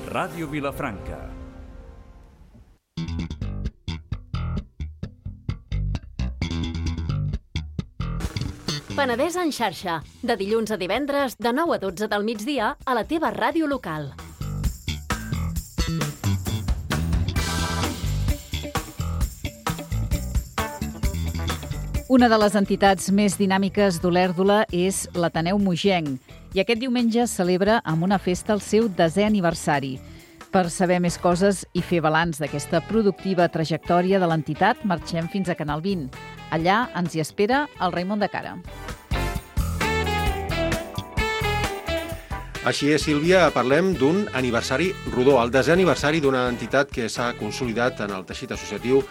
Ràdio Vilafranca. Penedès en xarxa, de dilluns a divendres, de 9 a 12 del migdia, a la teva ràdio local. Una de les entitats més dinàmiques d'Olèrdola és l'Ateneu Mogenc i aquest diumenge celebra amb una festa el seu 10è aniversari. Per saber més coses i fer balanç d'aquesta productiva trajectòria de l'entitat, marxem fins a Canal 20. Allà ens hi espera el Raimon de Cara. Així és, Sílvia, parlem d'un aniversari rodó, el 10è aniversari d'una entitat que s'ha consolidat en el teixit associatiu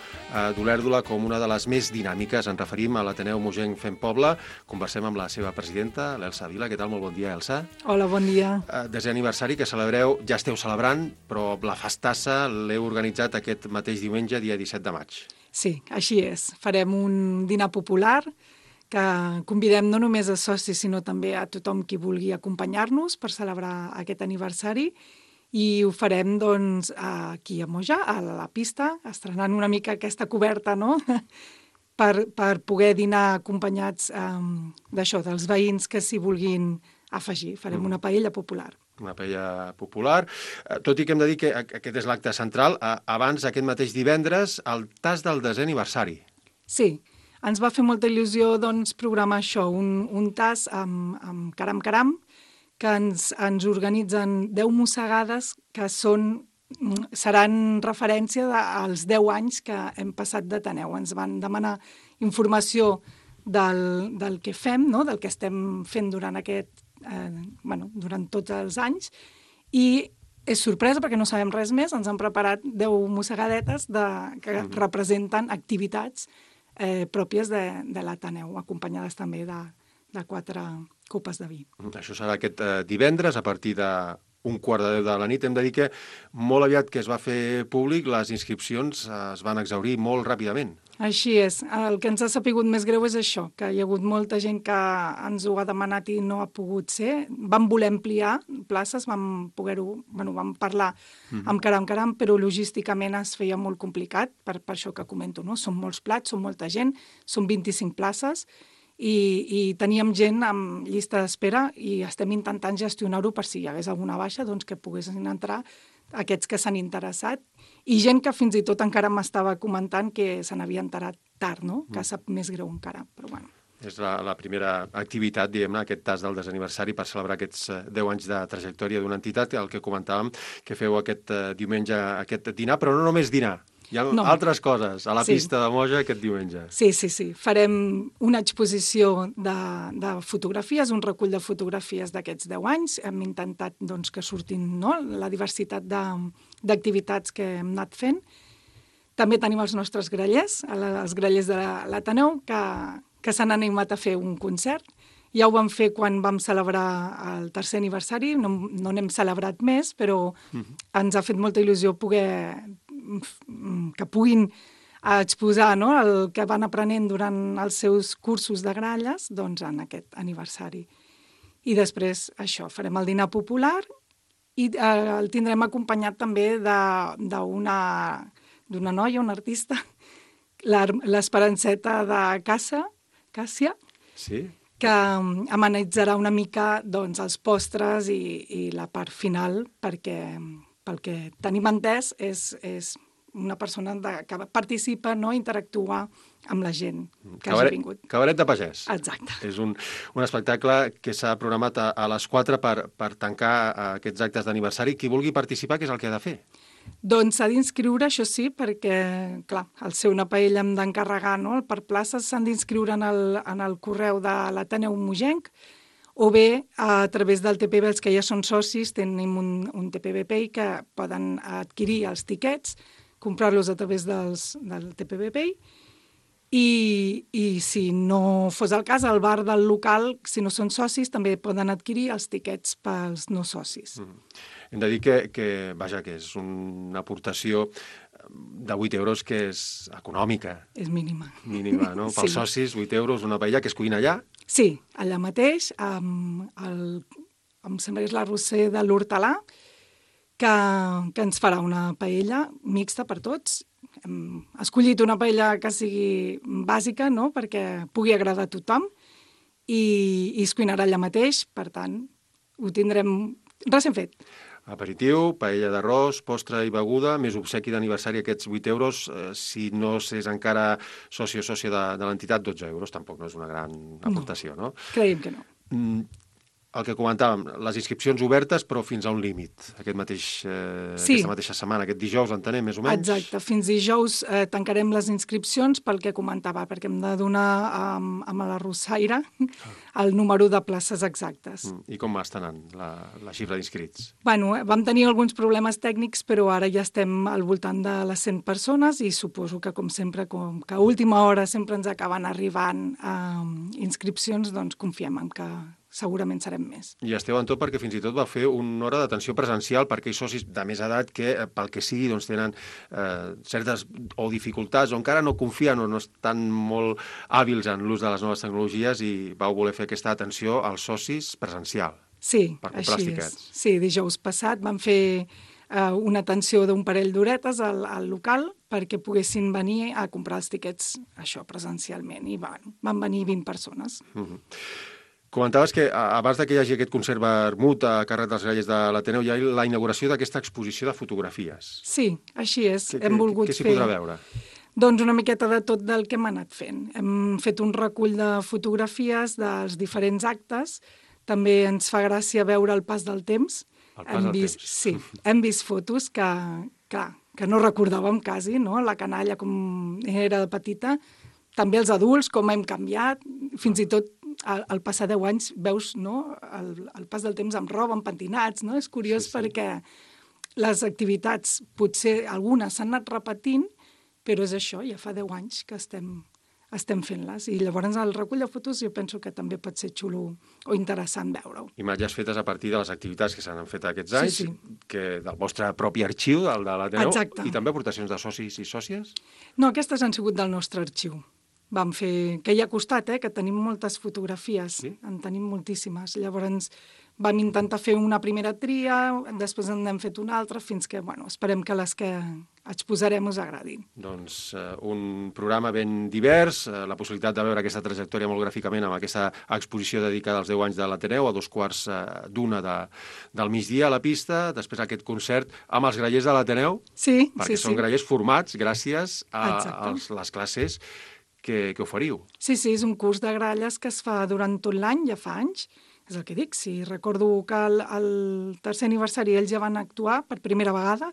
d'Olèrdola com una de les més dinàmiques. Ens referim a l'Ateneu Mogenc Fem Poble. Conversem amb la seva presidenta, l'Elsa Vila. Què tal? Molt bon dia, Elsa. Hola, bon dia. 10è aniversari que celebreu, ja esteu celebrant, però la festassa l'heu organitzat aquest mateix diumenge, dia 17 de maig. Sí, així és. Farem un dinar popular que convidem no només a socis, sinó també a tothom qui vulgui acompanyar-nos per celebrar aquest aniversari, i ho farem doncs, aquí a Moja, a la pista, estrenant una mica aquesta coberta, no? per poder dinar acompanyats d'això, dels veïns que s'hi vulguin afegir. Farem una paella popular. Una paella popular. Tot i que hem de dir que aquest és l'acte central, abans, aquest mateix divendres, el tas del 10è aniversari. Sí, ens va fer molta il·lusió doncs, programar això, un tas amb caram-caram, que ens organitzen 10 mossegades que seran referència als 10 anys que hem passat d'Ateneu. Ens van demanar informació del que fem, no? Del que estem fent durant durant tots els anys, i és sorpresa perquè no sabem res més, ens han preparat 10 mossegadetes que representen activitats pròpies de l'Ateneu, acompanyades també de 4 copes de vi. Això serà aquest divendres, a partir d'un 9:15 de la nit. Hem de dir que molt aviat que es va fer públic, les inscripcions es van exhaurir molt ràpidament. Així és. El que ens ha sapigut més greu és això, que hi ha hagut molta gent que ens ho ha demanat i no ha pogut ser. Vam voler ampliar places, vam parlar amb caram, però logísticament es feia molt complicat, per això que comento, no? Són molts plats, són molta gent, són 25 places, i teníem gent amb llista d'espera i estem intentant gestionar-ho per si hi hagués alguna baixa, doncs que poguessin entrar aquests que s'han interessat, i gent que fins i tot encara m'estava comentant que se n'havia enterat tard, no? Que sap més greu encara, però bueno. És la primera activitat, diguem-ne, aquest tas del 10è aniversari per celebrar aquests 10 anys de trajectòria d'una entitat, el que comentàvem, que feu aquest diumenge, aquest dinar, però no només dinar. Hi ha altres coses a la pista de Moja aquest diumenge. Sí. Farem una exposició de fotografies, un recull de fotografies d'aquests 10 anys. Hem intentat doncs, que surtin la diversitat d'activitats que hem anat fent. També tenim els nostres grallers, els grallers de l'Ateneu, que s'han animat a fer un concert. Ja ho vam fer quan vam celebrar el 3è aniversari, no n'hem celebrat més, però ens ha fet molta il·lusió que puguin exposar el que van aprenent durant els seus cursos de gralles doncs, en aquest aniversari. I després, això, farem el dinar popular i el tindrem acompanyat també d'una noia, una artista, l'Esperanceta de Càssia, sí, que amenitzarà una mica doncs, els postres i la part final, perquè pel que tenim entès és una persona que participa, interactua amb la gent que hagi vingut. Cabaret de pagès. Exacte. És un espectacle que s'ha programat a les 4 per tancar aquests actes d'aniversari. Qui vulgui participar, què és el que ha de fer? Doncs s'ha d'inscriure, això sí, perquè, clar, al ser una paella hem d'encarregar, per places s'han d'inscriure en el correu de l'Ateneu Mogenc, o bé a través del TPB, els que ja són socis, tenim un TPB Pay que poden adquirir els tiquets, comprar-los a través del TPB Pay, i si no fos el cas, al bar del local, si no són socis, també poden adquirir els tiquets pels no socis. Hem de dir que és una aportació de 8 euros que és econòmica. És mínima. Mínima, no? Pels socis, 8 euros, una paella que es cuina allà. Sí, allà mateix, em sembla que és l'arrosser de l'Hortalà, que ens farà una paella mixta per tots. Hem escollit una paella que sigui bàsica, no?, perquè pugui agradar a tothom, i es cuinarà allà mateix, per tant, ho tindrem recent fet. Aperitiu, paella d'arròs, postre i beguda, més obsequi d'aniversari, aquests 8 euros. Si no s'és encara soci o sòcia de l'entitat, 12 euros. Tampoc no és una gran aportació, no? Creiem que no. El que comentàvem, les inscripcions obertes, però fins a un límit. Aquesta mateixa setmana, aquest dijous, entenem, més o menys? Exacte. Fins dijous tancarem les inscripcions pel que comentava, perquè hem de donar amb la Rossaire el número de places exactes. I com està anant la xifra d'inscrits? Bueno, vam tenir alguns problemes tècnics, però ara ja estem al voltant de les 100 persones i suposo que, com sempre, com que a última hora sempre ens acaben arribant inscripcions, doncs confiem en que segurament serem més. I esteu en tot perquè fins i tot va fer una hora d'atenció presencial per aquells socis de més edat que, pel que sigui, doncs tenen certes o dificultats o encara no confien o no estan molt hàbils en l'ús de les noves tecnologies i vau voler fer aquesta atenció als socis presencial. Sí, per comprar els així tiquets. és. Sí, dijous passat vam fer una atenció d'un parell d'horetes al local perquè poguessin venir a comprar els tiquets presencialment i van venir 20 persones. Comentaves que abans que hi hagi aquest concert vermut a càrrec dels grallers de l'Ateneu hi ha la inauguració d'aquesta exposició de fotografies. Sí, així és. Què s'hi podrà veure? Doncs una miqueta de tot del que hem anat fent. Hem fet un recull de fotografies dels diferents actes. També ens fa gràcia veure el pas del temps. El pas del temps. Sí, hem vist fotos que no recordàvem quasi, no? La canalla com era de petita, també els adults, com hem canviat, fins i tot al passar 10 anys veus, no, el pas del temps amb roba, amb pentinats, no? És curiós perquè les activitats, potser algunes s'han anat repetint, però és això, ja fa 10 anys que estem fent-les. I llavors el recull de fotos jo penso que també pot ser xulo o interessant veure-ho. Imatges fetes a partir de les activitats que s'han fet aquests anys, que del vostre propi arxiu, el de l'Ateneu, i també aportacions de socis i sòcies? No, aquestes han sigut del nostre arxiu. Vam fer, que hi ha costat, que tenim moltes fotografies, en tenim moltíssimes. Llavors vam intentar fer una primera tria, després en hem fet una altra, fins que, esperem que les que exposarem us agradin. Doncs un programa ben divers, la possibilitat de veure aquesta trajectòria molt gràficament amb aquesta exposició dedicada als 10 anys de l'Ateneu, a 2:45 del migdia a la pista, després aquest concert amb els grallers de l'Ateneu, perquè són grallers formats gràcies a les classes que oferiu. Sí, és un curs de gralles que es fa durant tot l'any, ja fa anys. És el que dic, sí, recordo que al tercer aniversari ells ja van actuar per primera vegada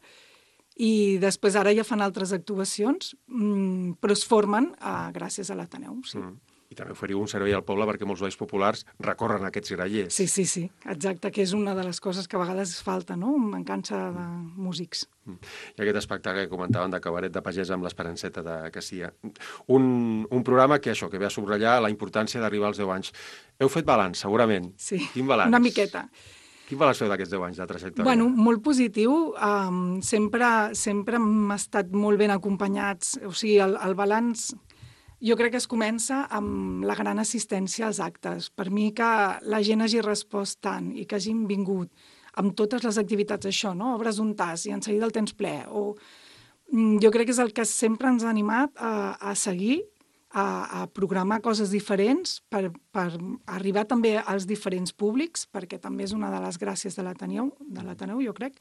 i després ara ja fan altres actuacions, però es formen gràcies a l'Ateneu, sí. I també oferiu un servei al poble perquè molts balls populars recorren aquests grallers. Sí, exacte, que és una de les coses que a vegades falta, no? Mancança de músics. I aquest espectacle que comentaven de cabaret de pagès amb l'Esperanceta de Cassia. Un programa que ve a subratllar la importància d'arribar als 10 anys. Heu fet balanç, segurament. Sí, quin balanç? Una miqueta. Quin balanç feu d'aquests 10 anys de trajectòria? Bueno, molt positiu. Sempre hem estat molt ben acompanyats. O sigui, el balanç jo crec que es comença amb la gran assistència als actes. Per mi que la gent hagi respost tant i que hagin vingut amb totes les activitats, això, no? Obres un tas i en seguida el tens ple. Jo crec que és el que sempre ens ha animat a seguir, a programar coses diferents per arribar també als diferents públics, perquè també és una de les gràcies de l'Ateneu, jo crec.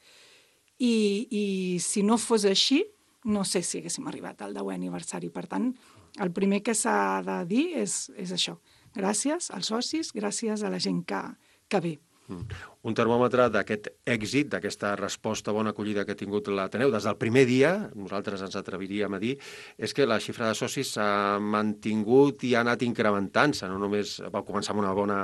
I si no fos així, no sé si haguéssim arribat al 10è aniversari. Per tant, el primer que s'ha de dir és això. Gràcies als socis, gràcies a la gent que ve. Un termòmetre d'aquest èxit, d'aquesta resposta bona acollida que ha tingut l'Ateneu des del primer dia, nosaltres ens atreviríem a dir, és que la xifra de socis s'ha mantingut i ha anat incrementant-se. No només vau començar amb una bona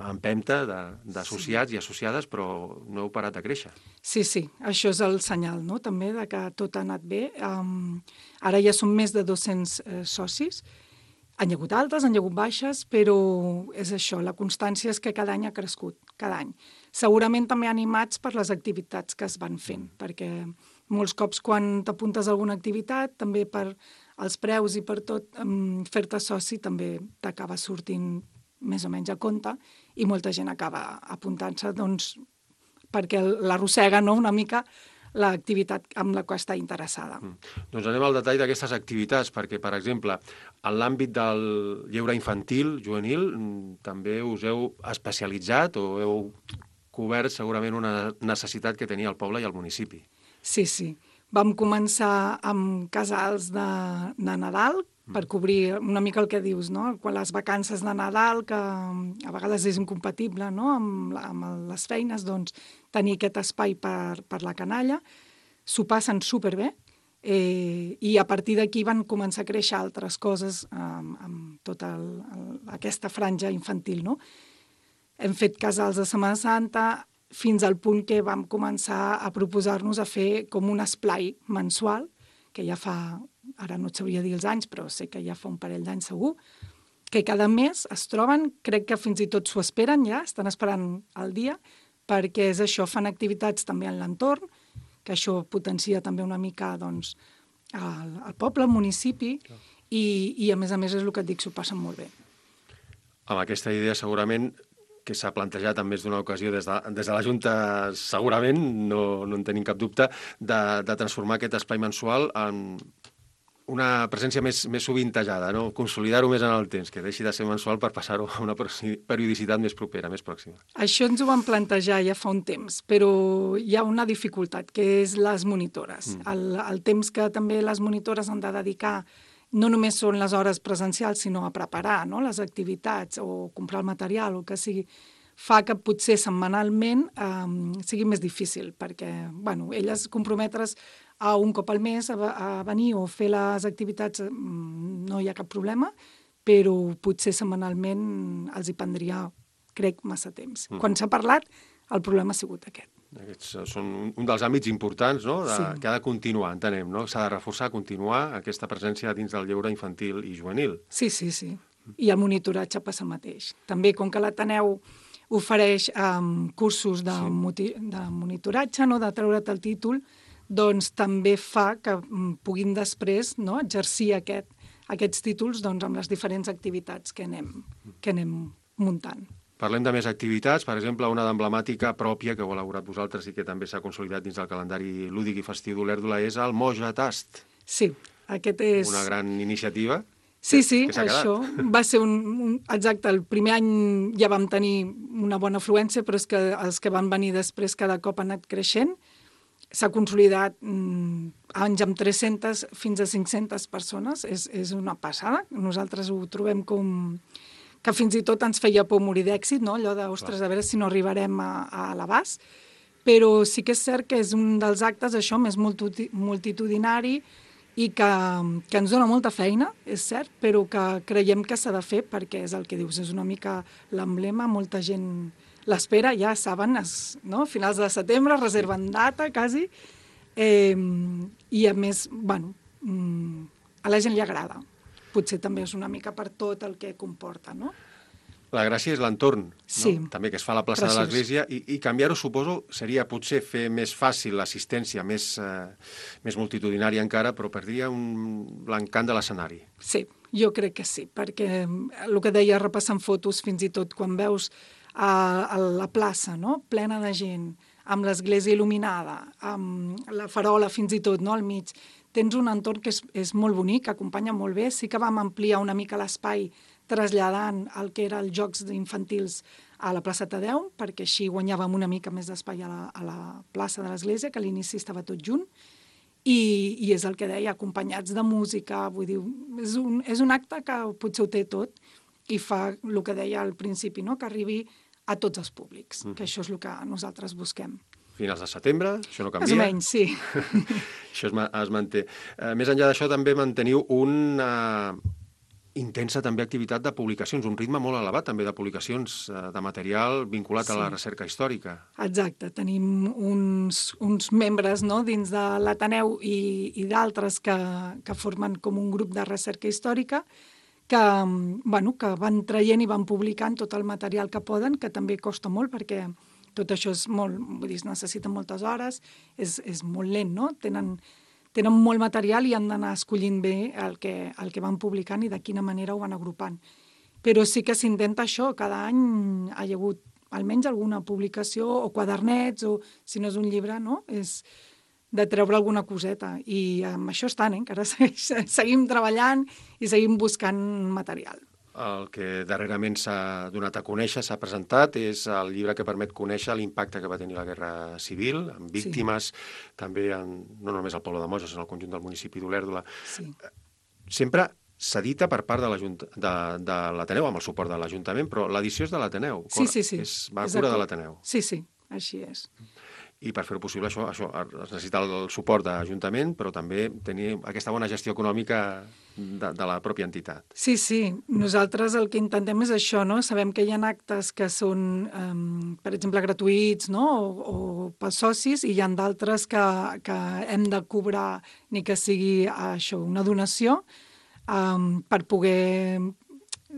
empenta d'associats i associades, però no heu parat de créixer. Sí, això és el senyal, no?, també, de que tot ha anat bé. Ara ja som més de 200 socis. Han hi hagut altes, han hi hagut baixes, però és això, la constància és que cada any ha crescut, cada any. Segurament també animats per les activitats que es van fent, perquè molts cops quan t'apuntes a alguna activitat, també per els preus i per tot, fer-te soci també t'acaba sortint més o menys a compte, i molta gent acaba apuntant-se doncs, perquè l'arrossega, no?, una mica l'activitat amb la qual està interessada. Doncs anem al detall d'aquestes activitats, perquè, per exemple, en l'àmbit del lleure infantil, juvenil, també us heu especialitzat o heu cobert segurament una necessitat que tenia el poble i el municipi. Sí, sí. Vam començar amb casals de Nadal, per cobrir una mica el que dius, no? Quan les vacances de Nadal, que a vegades és incompatible, no?, amb les feines, doncs tenir aquest espai per la canalla. S'ho passen superbé, i a partir d'aquí van començar a créixer altres coses amb tota aquesta franja infantil, no? Hem fet casals de Setmana Santa fins al punt que vam començar a proposar-nos a fer com un esplai mensual, que ja fa, ara no et sabria dir els anys, però sé que ja fa un parell d'anys segur, que cada mes es troben, crec que fins i tot s'ho esperen ja, estan esperant el dia, perquè és això, fan activitats també en l'entorn, que això potencia també una mica doncs, el poble, el municipi, i a més és el que et dic, s'ho passen molt bé. Amb aquesta idea segurament que s'ha plantejat en més d'una ocasió des de la Junta, segurament, no en tenim cap dubte, de transformar aquest espai mensual en una presència més sovintejada, no? Consolidar-ho més en el temps, que deixi de ser mensual per passar-ho a una periodicitat més propera, més pròxima. Això ens ho vam plantejar ja fa un temps, però hi ha una dificultat, que és les monitores. El temps que també les monitores han de dedicar no només són les hores presencials, sinó a preparar, no?, les activitats o comprar el material o que sigui, fa que potser setmanalment sigui més difícil, perquè elles comprometre's a un cop al mes a venir o fer les activitats no hi ha cap problema, però potser setmanalment els hi prendria, crec, massa temps. Quan s'ha parlat, el problema ha sigut aquest. Aquests són un dels àmbits importants, no?, que ha de continuar, entenem, no? S'ha de reforçar, continuar aquesta presència dins del lleure infantil i juvenil. Sí. I el monitoratge passa el mateix. També, com que l'Ateneu ofereix cursos de monitoratge, no?, de treure't el títol, doncs també fa que puguin després, no?, exercir aquests títols doncs, amb les diferents activitats que anem muntant. Parlem de més activitats, per exemple, una d'emblemàtica pròpia que heu elaborat vosaltres i que també s'ha consolidat dins del calendari lúdic i festiu d'Olèrdola és el Moja Tast. Sí, aquest és... Una gran iniciativa. Sí, això va ser exacte, el primer any ja vam tenir una bona afluència, però és que els que van venir després cada cop han anat creixent. S'ha consolidat anys amb 300 fins a 500 persones, és una passada. Nosaltres ho trobem com que fins i tot ens feia por morir d'èxit, no? Allò de, ostres, a veure si no arribarem a l'abast. Però sí que és cert que és un dels actes, això, més multitudinari i que ens dona molta feina, és cert, però que creiem que s'ha de fer perquè és el que dius, és una mica l'emblema, molta gent l'espera, ja saben, no? Finals de setembre, reserven data, quasi, i a més, a la gent li agrada. Potser també és una mica per tot el que comporta, no? La gràcia és l'entorn, sí, no? També que es fa a la plaça de l'Església, i canviar-ho, suposo, seria potser fer més fàcil l'assistència, més multitudinària encara, però perdria l'encant de l'escenari. Sí, jo crec que sí, perquè el que deia repassant fotos, fins i tot quan veus a la plaça, no?, plena de gent, amb l'església il·luminada, amb la farola fins i tot, no?, al mig, tens un entorn que és molt bonic, que acompanya molt bé. Sí que vam ampliar una mica l'espai traslladant el que eren els jocs infantils a la plaça Tadeu, perquè així guanyàvem una mica més d'espai a la plaça de l'Església, que a l'inici estava tot junt, i és el que deia, acompanyats de música, vull dir, és un acte que potser ho té tot i fa el que deia al principi, no?, que arribi a tots els públics, que això és el que nosaltres busquem. Finals de setembre, això no canvia. Més o menys, sí. Això es manté. Més enllà d'això, també manteniu una intensa també activitat de publicacions, un ritme molt elevat també de publicacions de material vinculat a la recerca històrica. Exacte, tenim uns membres, no?, dins de l'Ateneu i d'altres que formen com un grup de recerca històrica que van traient i van publicant tot el material que poden, que també costa molt perquè tot això és molt, vull dir, necessita moltes hores, és molt lent, no? Tenen molt material i han d'anar escollint bé el que van publicant i de quina manera ho van agrupant. Però sí que s'intenta això, cada any hi ha hagut almenys alguna publicació o quadernets, o si no és un llibre, no? És de treure alguna coseta. I amb això estan, encara seguim treballant i seguim buscant material. El que darrerament s'ha donat a conèixer, s'ha presentat, és el llibre que permet conèixer l'impacte que va tenir la Guerra Civil, amb víctimes, també no només al poble de Moja, sinó al conjunt del municipi d'Olèrdola. Sí. Sempre s'edita per part de l'Ateneu, amb el suport de l'Ajuntament, però l'edició és de l'Ateneu. Sí. Va a cura de l'Ateneu. Sí, així és. I per fer-ho possible, això es necessita el suport de l'Ajuntament, però també tenir aquesta bona gestió econòmica de la pròpia entitat. Sí. Nosaltres el que intentem és això, no? Sabem que hi ha actes que són, per exemple, gratuïts, no? O pels socis, i hi ha d'altres que hem de cobrar, ni que sigui això, una donació, per poder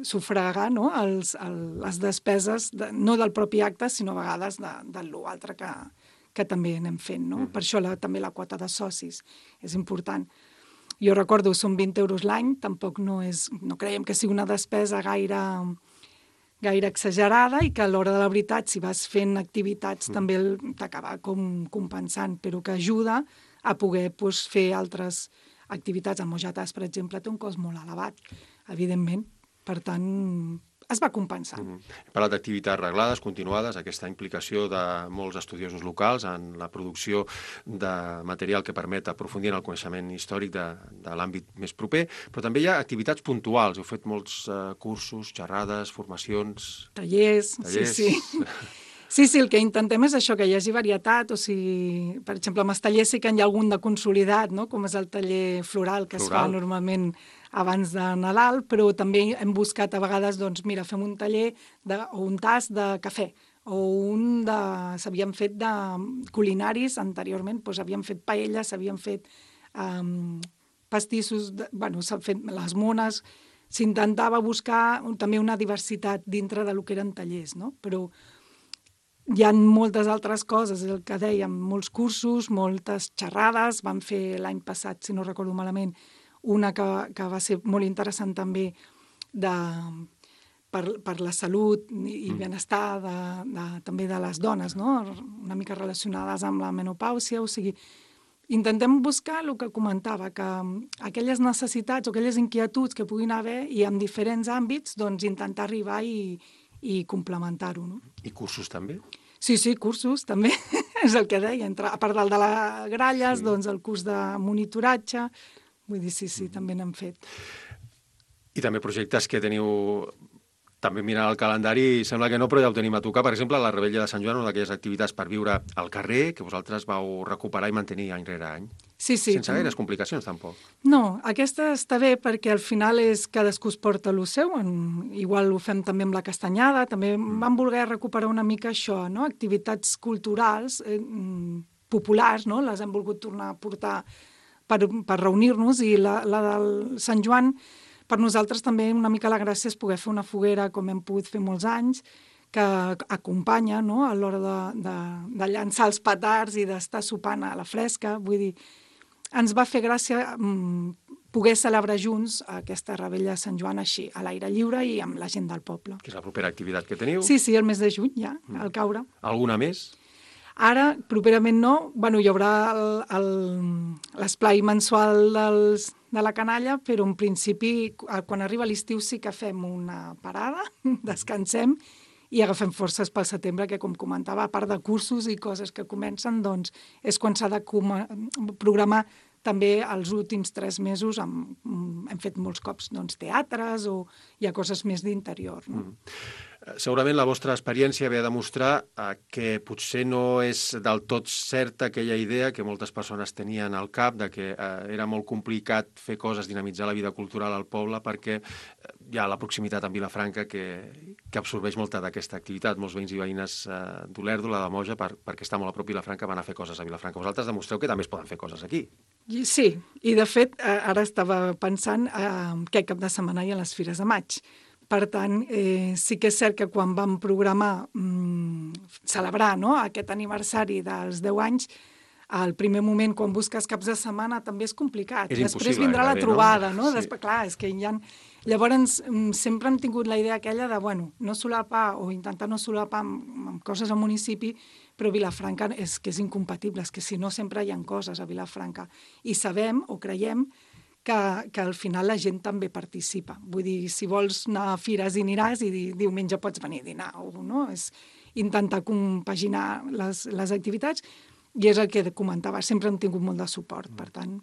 sufragar, no? Les despeses, no del propi acte, sinó a vegades de l'altre que també anem fent, no? Per això també la quota de socis és important. Jo recordo, són 20 euros l'any, tampoc no creiem que sigui una despesa gaire exagerada, i que a l'hora de la veritat, si vas fent activitats, també t'acaba com compensant, però que ajuda a poder fer altres activitats. El Mojatas, per exemple, té un cost molt elevat, evidentment. Per tant, es va compensar. Hem parlat d'activitats reglades, continuades, aquesta implicació de molts estudiosos locals en la producció de material que permet aprofundir en el coneixement històric de l'àmbit més proper, però també hi ha activitats puntuals. Heu fet molts cursos, xerrades, formacions... Tallers. Sí. Sí, el que intentem és això, que hi hagi varietat, o sigui, per exemple, amb els tallers sí que hi ha algun de consolidat, no? Com és el taller floral, que es fa normalment abans de Nadal, però també hem buscat a vegades, doncs, mira, fem un taller o un tas de cafè, o s'havien fet de culinaris anteriorment, doncs havíem fet paelles, s'havien fet pastissos, s'han fet les mones, s'intentava buscar també una diversitat dintre del que eren tallers, no? Però hi ha moltes altres coses, el que dèiem, molts cursos, moltes xerrades. Vam fer l'any passat, si no recordo malament, una que va ser molt interessant també per la salut i benestar també de les dones, no? Una mica relacionades amb la menopàusia. O sigui, intentem buscar el que comentava, que aquelles necessitats o aquelles inquietuds que puguin haver i en diferents àmbits, doncs intentar arribar i complementar-ho, no? I cursos també? Sí, cursos també, és el que deia. A part del de les gralles, doncs el curs de monitoratge, vull dir, sí, també n'hem fet. I també projectes que teniu... També mirant el calendari, sembla que no, però ja ho tenim a tocar. Per exemple, la Rebella de Sant Joan, una d'aquelles activitats per viure al carrer, que vosaltres vau recuperar i mantenir any rere any. Sí. Sense gaires complicacions, tampoc. No, aquesta està bé perquè al final és cadascú es porta el seu. Igual ho fem també amb la castanyada. També vam voler recuperar una mica això, no? Activitats culturals populars, no? Les hem volgut tornar a portar per reunir-nos, i la del Sant Joan, per nosaltres també una mica la gràcia és poder fer una foguera com hem pogut fer molts anys, que acompanya, no?, a l'hora de llançar els petards i d'estar sopant a la fresca. Vull dir, ens va fer gràcia poder celebrar junts aquesta Rebella de Sant Joan així, a l'aire lliure i amb la gent del poble. Que és la propera activitat que teniu? Sí, el mes de juny ja, al caure. Alguna més? Ara, properament no. Bueno, hi haurà l'esplai mensual de la canalla, però en principi, quan arriba l'estiu sí que fem una parada, descansem i agafem forces pel setembre, que, com comentava, a part de cursos i coses que comencen, doncs és quan s'ha de programar també els últims 3 mesos. Hem fet molts cops teatres, o hi ha coses més d'interior, no? Segurament la vostra experiència ve a demostrar que potser no és del tot certa aquella idea que moltes persones tenien al cap de que era molt complicat fer coses, dinamitzar la vida cultural al poble, perquè hi ha la proximitat amb Vilafranca que absorbeix molta d'aquesta activitat. Molts veïns i veïnes d'Olèrdola, de Moja, perquè està molt a prop Vilafranca, van a fer coses a Vilafranca. Vosaltres demostreu que també es poden fer coses aquí. Sí, i de fet ara estava pensant que cap de setmana hi ha les Fires de Maig. Per tant, sí que és cert que quan vam programar celebrar, no?, aquest aniversari dels 10 anys, al primer moment, quan busques caps de setmana, també és complicat. És Després impossible, vindrà la gairebé, trobada, no? no? Sí. Després, clar, és que hi ha... Llavors, sempre hem tingut la idea aquella de, bueno, no solapar o intentar no solapar amb coses al municipi, però Vilafranca és que és incompatible, és que si no sempre hi ha coses a Vilafranca. I sabem o creiem que al final la gent també participa. Vull dir, si vols anar a fires i aniràs i diumenge pots venir a dinar, no? És intentar compaginar les activitats i és el que comentava, sempre hem tingut molt de suport, per tant,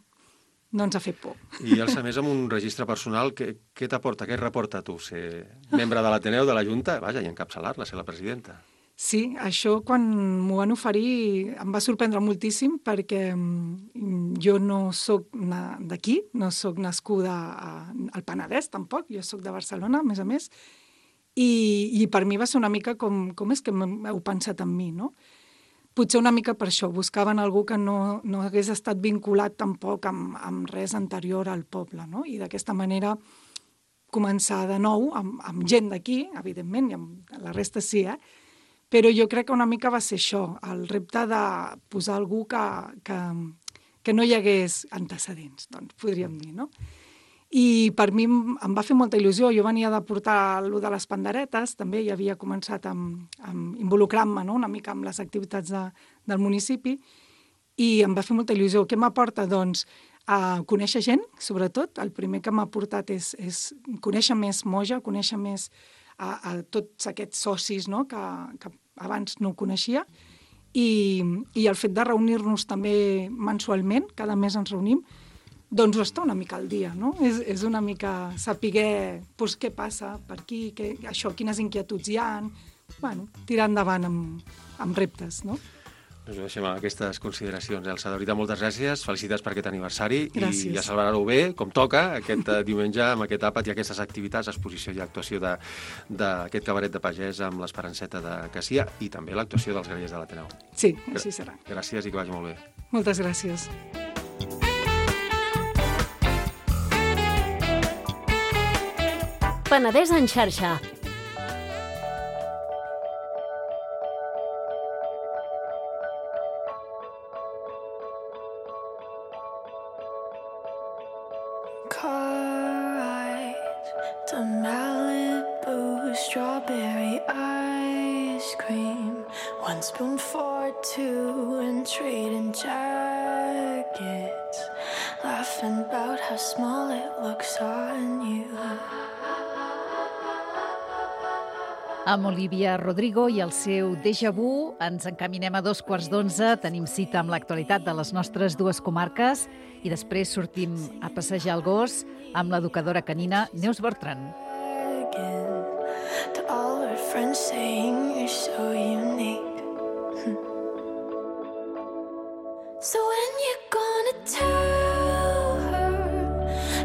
no ens ha fet por. I, Elsa, més amb un registre personal, què t'aporta, què et reporta a tu? Ser membre de l'Ateneu, de la Junta, vaja, i encapçalar-la, ser la presidenta. Sí, això quan m'ho van oferir em va sorprendre moltíssim perquè jo no sóc d'aquí, no sóc nascuda al Penedès tampoc, jo sóc de Barcelona, a més, i per mi va ser una mica com és que heu pensat en mi, no? Potser una mica per això, buscaven algú que no hagués estat vinculat tampoc amb res anterior al poble, no? I d'aquesta manera començar de nou amb gent d'aquí, evidentment, i amb la resta sí, però jo crec que una mica va ser això, el repte de posar algú que no hi hagués antecedents, doncs podríem dir, no? I per mi em va fer molta il·lusió. Jo venia de portar allò de les panderetes, també hi havia començat a involucrar-me, no? Una mica amb les activitats del municipi, i em va fer molta il·lusió. Què m'aporta? Doncs a conèixer gent, sobretot. El primer que m'ha portat és conèixer més Moja, conèixer més a tots aquests socis, no? que abans no ho coneixia, i el fet de reunir-nos també mensualment, cada mes ens reunim, doncs ho està una mica al dia, no? És una mica saber doncs, què passa per aquí, quines inquietuds hi ha, bueno, tirar endavant amb reptes, no? Doncs ho deixem amb aquestes consideracions. Elsa, de veritat, moltes gràcies, felicitats per aquest aniversari. Gràcies. I a celebrar-ho bé, com toca, aquest diumenge, amb aquest àpat i aquestes activitats, exposició i actuació d'aquest cabaret de pagès amb l'Esperanceta de Casia i també l'actuació dels Grallers de l'Ateneu. Sí, així serà. Gràcies i que vagi molt bé. Moltes gràcies. Penedès en xarxa. Car ride to Malibu, strawberry ice cream, 1 spoon for 2 and trading jackets, laughing about how small it looks on you. Amb Olivia Rodrigo i el seu Déjà Vu ens encaminem a 11:15. Tenim cita amb l'actualitat de les nostres dues comarques i després sortim a passejar el gos amb l'educadora canina Neus Bertran. To all her friends saying you're so unique. So when you're gonna tell her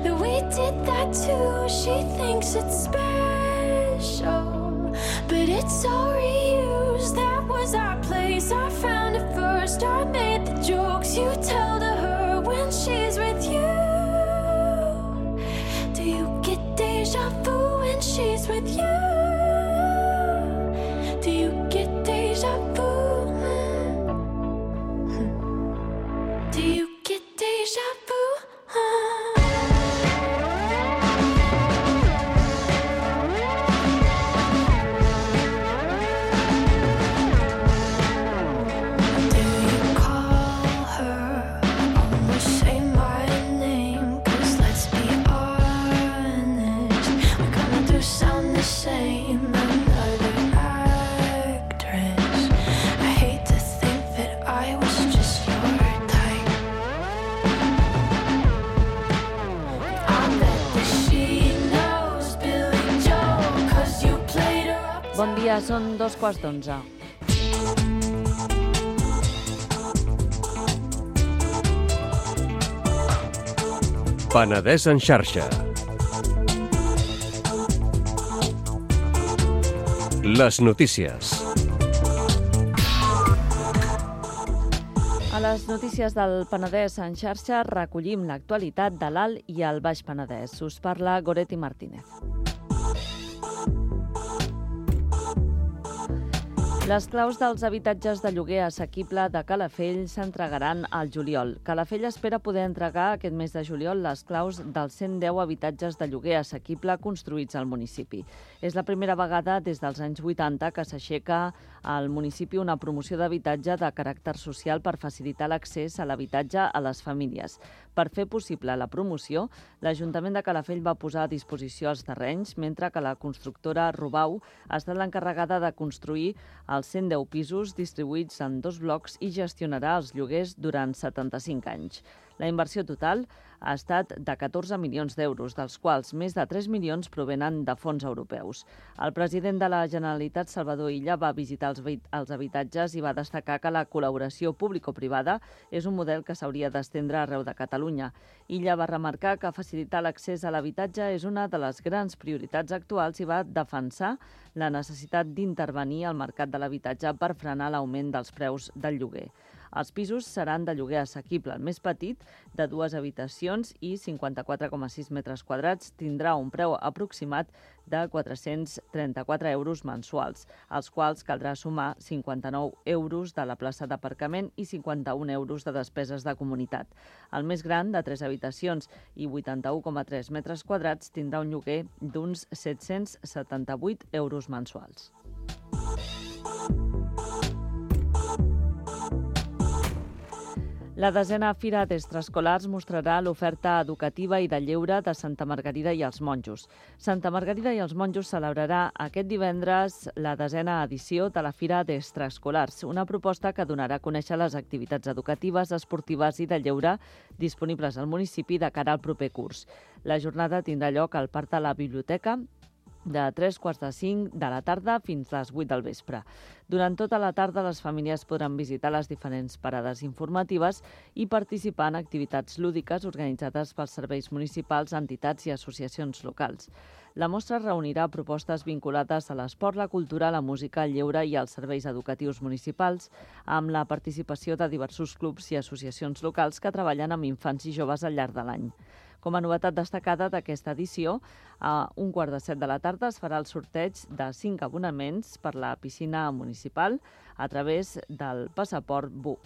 that we did that too, she thinks it's special. But it's all reused, that was our place. I found it first, I made the jokes you tell to her when she's with you. Do you get déjà vu when she's with you? Do you get déjà vu? Do you get déjà vu? Bon dia, són 11:15. Penedès en xarxa. Les notícies. A les notícies del Penedès en xarxa recollim l'actualitat de l'Alt i el Baix Penedès. Us parla Goretti Martínez. Les claus dels habitatges de lloguer assequible de Calafell s'entregaran al juliol. Calafell espera poder entregar aquest mes de juliol les claus dels 110 habitatges de lloguer assequible construïts al municipi. És la primera vegada des dels anys 80 que s'aixeca al municipi una promoció d'habitatge de caràcter social per facilitar l'accés a l'habitatge a les famílies. Per fer possible la promoció, l'Ajuntament de Calafell va posar a disposició els terrenys, mentre que la constructora Rubau ha estat l'encarregada de construir els 110 pisos distribuïts en 2 blocs i gestionarà els lloguers durant 75 anys. La inversió total ha estat de 14 milions d'euros, dels quals més de 3 milions provenen de fons europeus. El president de la Generalitat, Salvador Illa, va visitar els habitatges i va destacar que la col·laboració público-privada és un model que s'hauria d'estendre arreu de Catalunya. Illa va remarcar que facilitar l'accés a l'habitatge és una de les grans prioritats actuals i va defensar la necessitat d'intervenir al mercat de l'habitatge per frenar l'augment dels preus del lloguer. Els pisos seran de lloguer assequible. El més petit, de 2 habitacions i 54,6 metres quadrats, tindrà un preu aproximat de 434 euros mensuals, als quals caldrà sumar 59 euros de la plaça d'aparcament i 51 euros de despeses de comunitat. El més gran, de 3 habitacions i 81,3 metres quadrats, tindrà un lloguer d'uns 778 euros mensuals. La 10a Fira d'Extraescolars mostrarà l'oferta educativa i de lleure de Santa Margarida i els Monjos. Santa Margarida i els Monjos celebrarà aquest divendres la 10a edició de la Fira d'Extraescolars, una proposta que donarà a conèixer les activitats educatives, esportives i de lleure disponibles al municipi de cara al proper curs. La jornada tindrà lloc al Parc de la Biblioteca de 3:45 de la tarda fins a les 8 del vespre. Durant tota la tarda, les famílies podran visitar les diferents parades informatives i participar en activitats lúdiques organitzades pels serveis municipals, entitats i associacions locals. La mostra reunirà propostes vinculades a l'esport, la cultura, la música, el lleure i els serveis educatius municipals, amb la participació de diversos clubs i associacions locals que treballen amb infants i joves al llarg de l'any. Com a novetat destacada d'aquesta edició, a 1:15 de la tarda es farà el sorteig de 5 abonaments per la piscina municipal a través del passaport BU.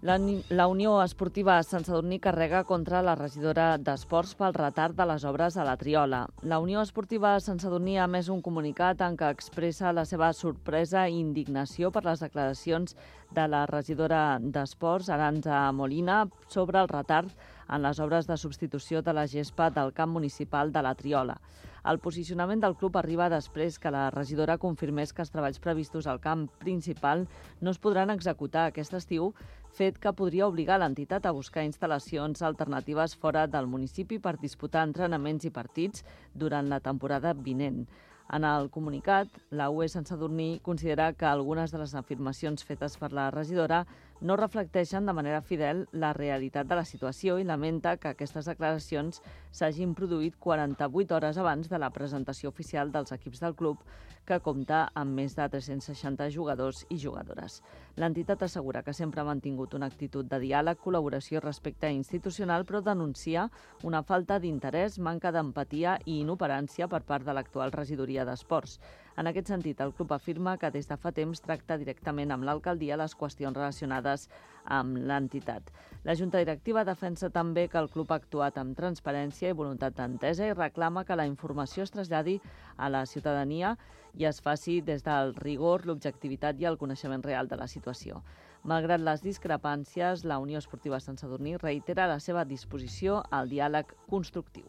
La Unió Esportiva Sant Sadurní carrega contra la regidora d'Esports pel retard de les obres a la Triola. La Unió Esportiva Sant Sadurní ha emès un comunicat en què expressa la seva sorpresa i indignació per les declaracions de la regidora d'Esports, Arantxa Molina, sobre el retard en les obres de substitució de la gespa del camp municipal de la Triola. El posicionament del club arriba després que la regidora confirmés que els treballs previstos al camp principal no es podran executar aquest estiu, fet que podria obligar l'entitat a buscar instal·lacions alternatives fora del municipi per disputar entrenaments i partits durant la temporada vinent. En el comunicat, la UE Sant Sadurní considera que algunes de les afirmacions fetes per la regidora no reflecteixen de manera fidel la realitat de la situació i lamenta que aquestes declaracions s'hagin produït 48 hores abans de la presentació oficial dels equips del club, que compta amb més de 360 jugadors i jugadores. L'entitat assegura que sempre ha mantingut una actitud de diàleg, col·laboració i respecte institucional, però denuncia una falta d'interès, manca d'empatia i inoperància per part de l'actual regidoria d'Esports. En aquest sentit, el club afirma que des de fa temps tracta directament amb l'alcaldia les qüestions relacionades amb l'entitat. La Junta Directiva defensa també que el club ha actuat amb transparència i voluntat d'entesa i reclama que la informació es traslladi a la ciutadania i es faci des del rigor, l'objectivitat i el coneixement real de la situació. Malgrat les discrepàncies, la Unió Esportiva Sant Sadurní reitera la seva disposició al diàleg constructiu.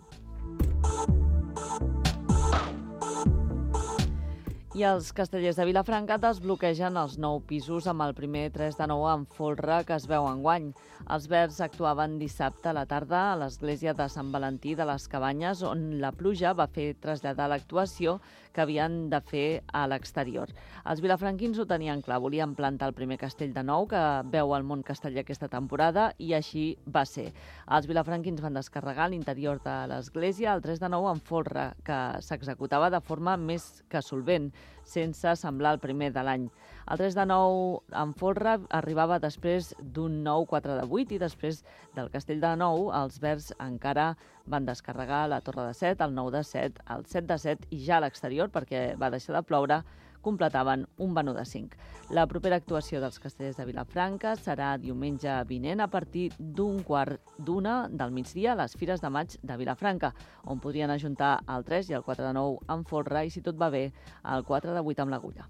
I els castellers de Vilafranca desbloquegen els 9 pisos amb el primer 3 de 9 en folre que es veu enguany. Els Verds actuaven dissabte a la tarda a l'església de Sant Valentí de les Cabanyes, on la pluja va fer traslladar l'actuació que havien de fer a l'exterior. Els vilafranquins ho tenien clar, volien plantar el primer castell de nou que veu el món casteller aquesta temporada i així va ser. Els vilafranquins van descarregar l'interior de l'església el 3 de 9 en folre, que s'executava de forma més que solvent. sense semblar el primer de l'any. El 3 de 9 en folre arribava després d'un nou 4 de 8 i després del Castell de 9 els verds encara van descarregar la Torre de 7, el 9 de 7, el 7 de 7 i ja a l'exterior, perquè va deixar de ploure, completaven un Venut de 5. La propera actuació dels Castellers de Vilafranca serà diumenge vinent a partir d'un 1:15 del migdia a les Fires de Maig de Vilafranca, on podrien ajuntar el 3 i el 4 de 9 amb folre i, si tot va bé, el 4 de 8 amb l'agulla.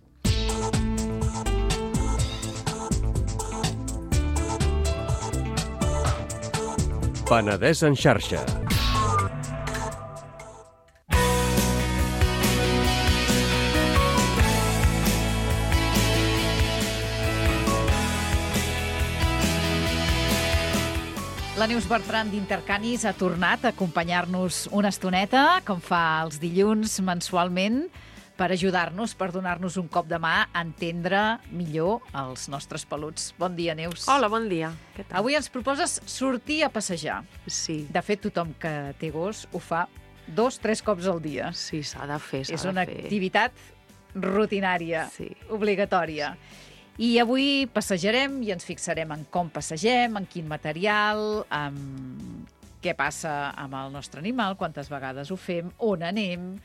Penedès en xarxa. La Neus Bertran d'Intercanis ha tornat a acompanyar-nos una estoneta, com fa els dilluns mensualment, per ajudar-nos, per donar-nos un cop de mà a entendre millor els nostres peluts. Bon dia, Neus. Hola, bon dia. Què tal? Avui ens proposes sortir a passejar. Sí, De fet, tothom que té gos ho fa 2-3 cops al dia. sí, s'ha de fer, És una activitat rutinària, Sí. obligatòria. I avui passejarem i ens fixarem en com passegem, en quin material, en què passa amb el nostre animal, quantes vegades ho fem, on anem,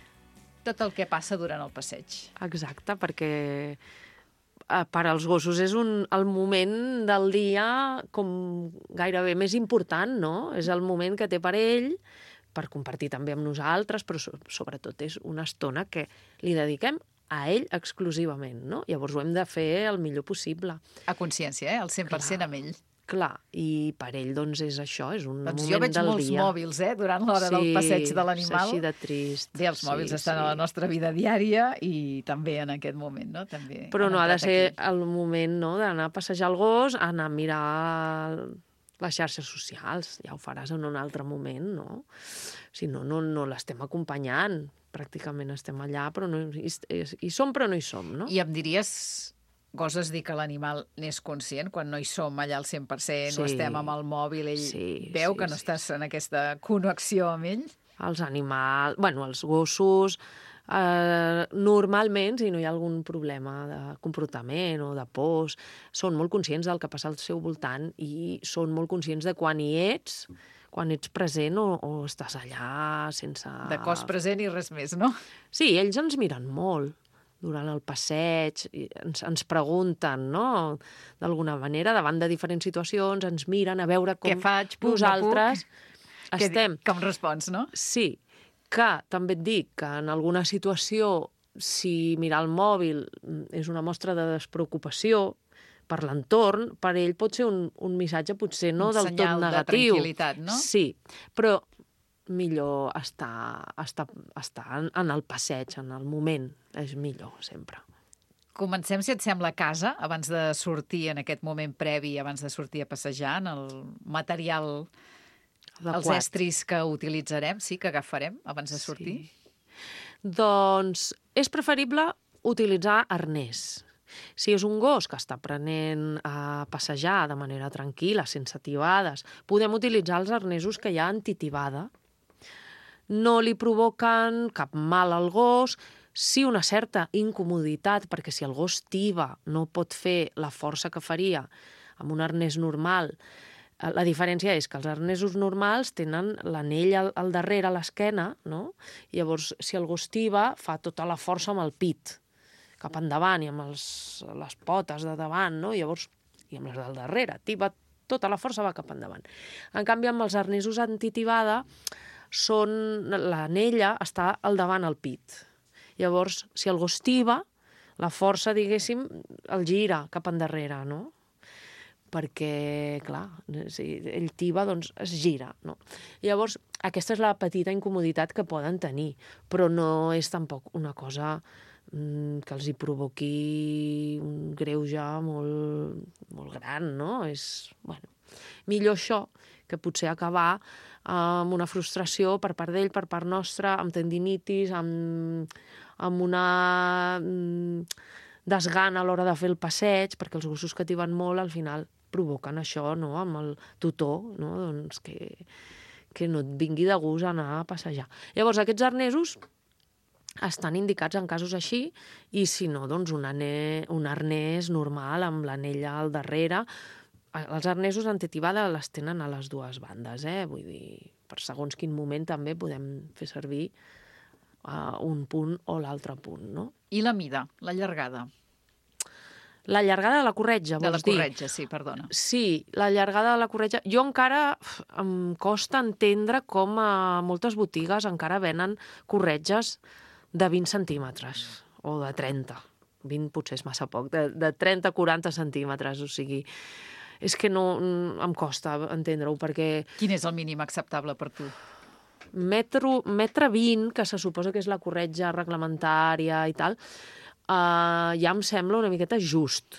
tot el que passa durant el passeig. Exacte, perquè per als gossos és el moment del dia com gairebé més important, no? És el moment que té per ell, per compartir també amb nosaltres, però sobretot és una estona que li dediquem a ell exclusivament, no? Llavors ho hem de fer el millor possible. A consciència, el 100% amb ell. Clar, i per ell, doncs, és això, és un Doncs moment jo veig del molts dia. mòbils, durant l'hora del passeig de l'animal. Sí, és així de trist. Bé, els mòbils estan a la nostra vida diària i també en aquest moment, no? També Però han no ha de entrat ser aquí. el moment, no?, d'anar a passejar el gos, anar a mirar les xarxes socials. Ja ho faràs en un altre moment, no? Si no, no l'estem acompanyant. Pràcticament estem allà, però no, hi som però no hi som, no? I em diries, goses dir que l'animal n'és conscient quan no hi som allà al 100%, no Sí. estem amb el mòbil, ell Sí, veu sí, que no sí. estàs en aquesta connexió amb ell? Els animals, bueno, els gossos, normalment, si no hi ha algun problema de comportament o de pors, són molt conscients del que passa al seu voltant i són molt conscients de quan ets present o estàs allà sense... De cos present i res més, no? Sí, ells ens miren molt durant el passeig, i ens pregunten, no?, d'alguna manera, davant de diferents situacions, ens miren a veure com Què faig? Puc, no nosaltres puc? estem. Com respons, no? Sí, que també et dic que en alguna situació, si mirar el mòbil és una mostra de despreocupació per l'entorn, per ell pot ser un missatge potser no Un del tot senyal de negatiu. tranquil·litat, no? Sí, però millor estar en el passeig, en el moment. És millor, sempre. Comencem, si et sembla, a casa, abans de sortir en aquest moment previ, abans de sortir a passejar, en el material, els estris que utilitzarem, sí, que agafarem abans de sortir. Sí. Doncs és preferible utilitzar arnès. Si és un gos que està aprenent a passejar de manera tranquil·la, sense tibades, podem utilitzar els arnesos que hi ha antitibada. No li provoquen cap mal al gos, sí una certa incomoditat, perquè si el gos tiba no pot fer la força que faria amb un arnès normal. La diferència és que els arnesos normals tenen l'anell al darrere, a l'esquena, no? I llavors, si el gos tiba, fa tota la força amb el pit, cap endavant, i amb les potes de davant, no? I llavors, i amb les del darrere, tiba, tota la força va cap endavant. En canvi, amb els arnesos antitibada, l'anella està al davant al pit. Llavors, si el gos tiba, la força, diguéssim, el gira cap endarrere, no? Perquè, clar, si ell tiba, doncs es gira, no? Llavors, aquesta és la petita incomoditat que poden tenir, però no és tampoc una cosa que els hi provoqui un greuge molt gran, no? És, bueno, millor això que potser acabar amb una frustració per part d'ell, per part nostra, amb tendinitis, amb una desgana a l'hora de fer el passeig, perquè els gossos que tiben molt al final provoquen això, no?, amb el tutor, no?, doncs que no et vingui de gust anar a passejar. Llavors, aquests arnesos estan indicats en casos així, i si no, doncs un arnès normal amb l'anella al darrere. Els arnesos antitibada les tenen a les dues bandes, vull dir, per segons quin moment també podem fer servir un punt o l'altre punt, no? I la mida, la llargada? La llargada de la corretja, De la vols dir? corretja, sí, perdona. Sí, la llargada de la corretja. Jo encara em costa entendre com a moltes botigues encara venen corretges de 20 centímetres o de 30. 20 potser és massa poc, de 30-40 centímetres, o sigui, és que no em costa entendre-ho, perquè Quin és el mínim acceptable per tu? metre 20, que se suposa que és la corretja reglamentària i tal, ja em sembla una miqueta just.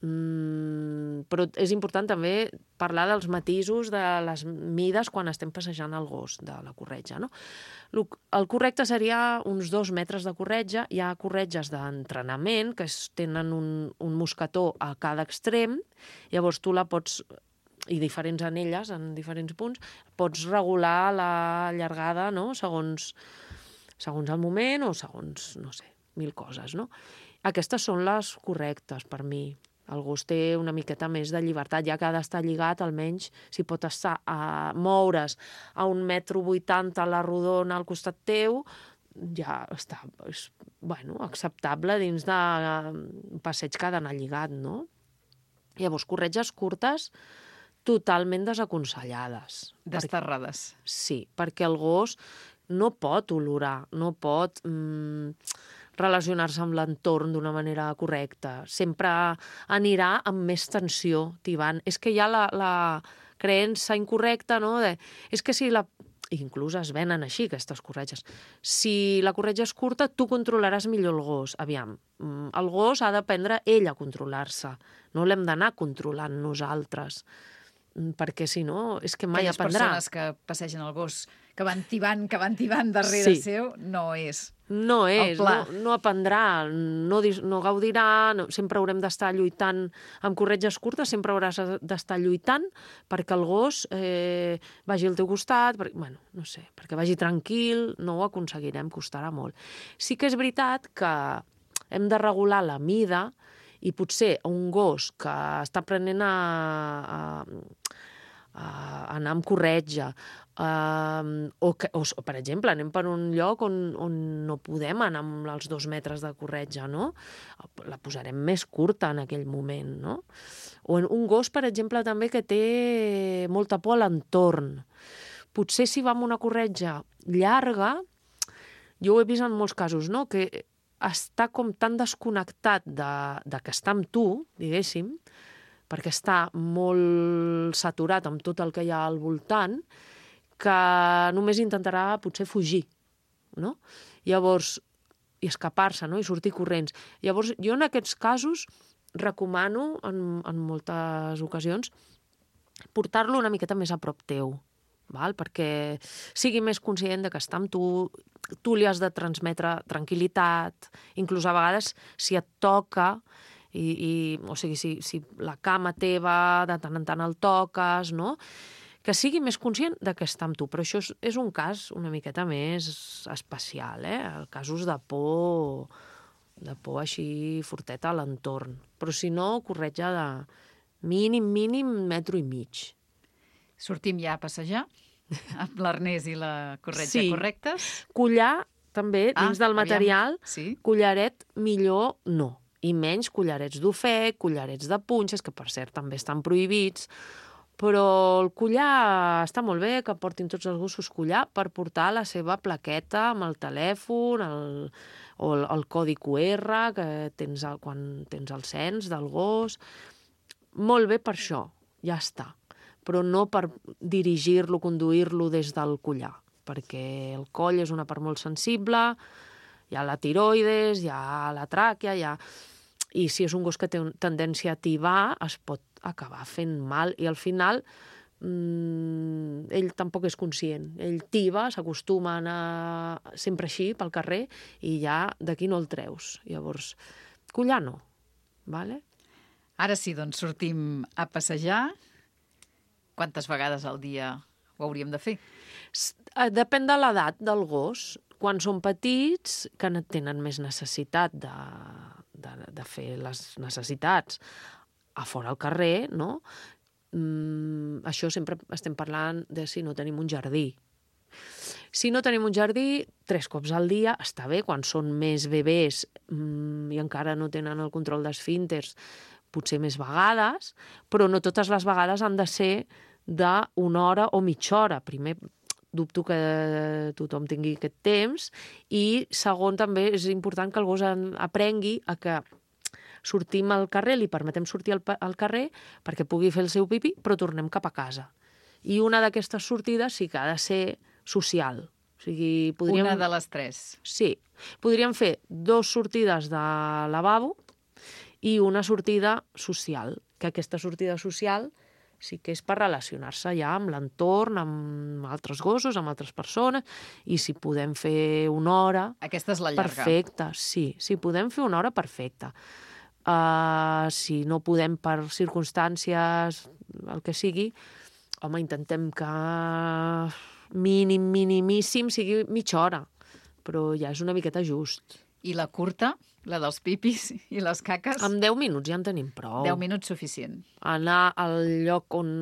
Però és important també parlar dels matisos de les mides quan estem passejant el gos de la corretja, no? El correcte seria uns 2 metres de corretja. Hi ha corretges d'entrenament que tenen un mosquetó a cada extrem, llavors tu la pots, i diferents anelles en diferents punts, pots regular la llargada, no?, segons el moment o segons, no sé, 1000 coses, no? Aquestes són les correctes per mi. El gos té una miqueta més de llibertat, ja que ha d'estar lligat, almenys si pot estar moure's a 1,80 m a la rodona al costat teu, ja està, acceptable dins d'un passeig que ha d'anar lligat, no? Llavors, corretges curtes totalment desaconsellades. Desterrades. Sí, perquè el gos no pot olorar, no pot relacionar-se amb l'entorn d'una manera correcta. Sempre anirà amb més tensió, tibant. És que hi ha la creença incorrecta, no?, és que si la... Inclús es venen així, aquestes corretges. Si la corretja és curta, tu controlaràs millor el gos. Aviam, el gos ha d'aprendre ell a controlar-se. No l'hem d'anar controlant nosaltres, perquè si no, és que mai aprendrà. Aquelles persones que passegen el gos, que van tibant darrere seu, no és. No és, el pla. no aprendrà, no gaudirà, sempre haurem d'estar lluitant amb corretges curtes, sempre hauràs d'estar lluitant perquè el gos vagi al teu costat, no sé, perquè vagi tranquil, no ho aconseguirem, costarà molt. Sí que és veritat que hem de regular la mida i potser un gos que està aprenent a anar amb corretja, o per exemple, anem per un lloc on no podem anar amb els 2 metres de corretja, no? La posarem més curta en aquell moment, no? O un gos, per exemple, també que té molta por a l'entorn. Potser si va amb una corretja llarga, jo ho he vist en molts casos, no?, que està com tan desconnectat de que està amb tu, diguéssim, perquè està molt saturat amb tot el que hi ha al voltant, que només intentarà potser fugir, no? Llavors, i escapar-se, no?, i sortir corrents. Llavors, jo en aquests casos recomano, en moltes ocasions, portar-lo una miqueta més a prop teu, perquè sigui més conscient de que està amb tu li has de transmetre tranquil·litat, inclús a vegades si et toca, o sigui, si la cama teva de tant en tant el toques, no?, que sigui més conscient de que està amb tu. Però això és un cas una miqueta més especial, casos de por així forteta a l'entorn. Però si no, corretja de mínim 1,5 metres. Sortim ja a passejar, amb l'arnès i la corretja correctes. Collar, també, dins del material, sí. Collaret millor no. I menys collarets d'ofec, collarets de punxes, que per cert també estan prohibits, però el collar està molt bé, que portin tots els gossos collar per portar la seva plaqueta amb el telèfon o el codi QR que tens quan tens el cens del gos. Molt bé per això, ja està. Però no per dirigir-lo, conduir-lo des del collar, perquè el coll és una part molt sensible, hi ha la tiroides, hi ha la tràquea, i si és un gos que té tendència a tibar, es pot acabar fent mal, i al final ell tampoc és conscient. Ell tiba, s'acostuma a anar sempre així pel carrer, i ja d'aquí no el treus. Llavors, collar no, vale? Ara sí, doncs sortim a passejar. Quantes vegades al dia ho hauríem de fer? Depèn de l'edat del gos. quan són petits, que tenen més necessitat de fer les necessitats a fora al carrer, no? Això sempre estem parlant de si no tenim un jardí. Si no tenim un jardí, 3 cops al dia està bé. Quan són més bebès i encara no tenen el control d'esfínters, potser més vegades, però no totes les vegades han de ser d'una hora o mitja hora. Primer, dubto que tothom tingui aquest temps, i segon, també és important que el gos aprengui a que sortim al carrer, li permetem sortir al carrer perquè pugui fer el seu pipí, però tornem cap a casa. I una d'aquestes sortides sí que ha de ser social. O sigui, Una de les 3. Sí. Podríem fer 2 sortides de lavabo i una sortida social, que aquesta sortida social sí que és per relacionar-se ja amb l'entorn, amb altres gossos, amb altres persones, i si podem fer una hora... Aquesta és la llarga. Perfecte, sí. Si podem fer una hora, perfecte. Si no podem per circumstàncies, el que sigui, home, intentem que minimíssim sigui mitja hora, però ja és una miqueta just. I la curta, la dels pipis i les caques? Amb 10 minuts ja en tenim prou. 10 minuts suficient. Anar al lloc on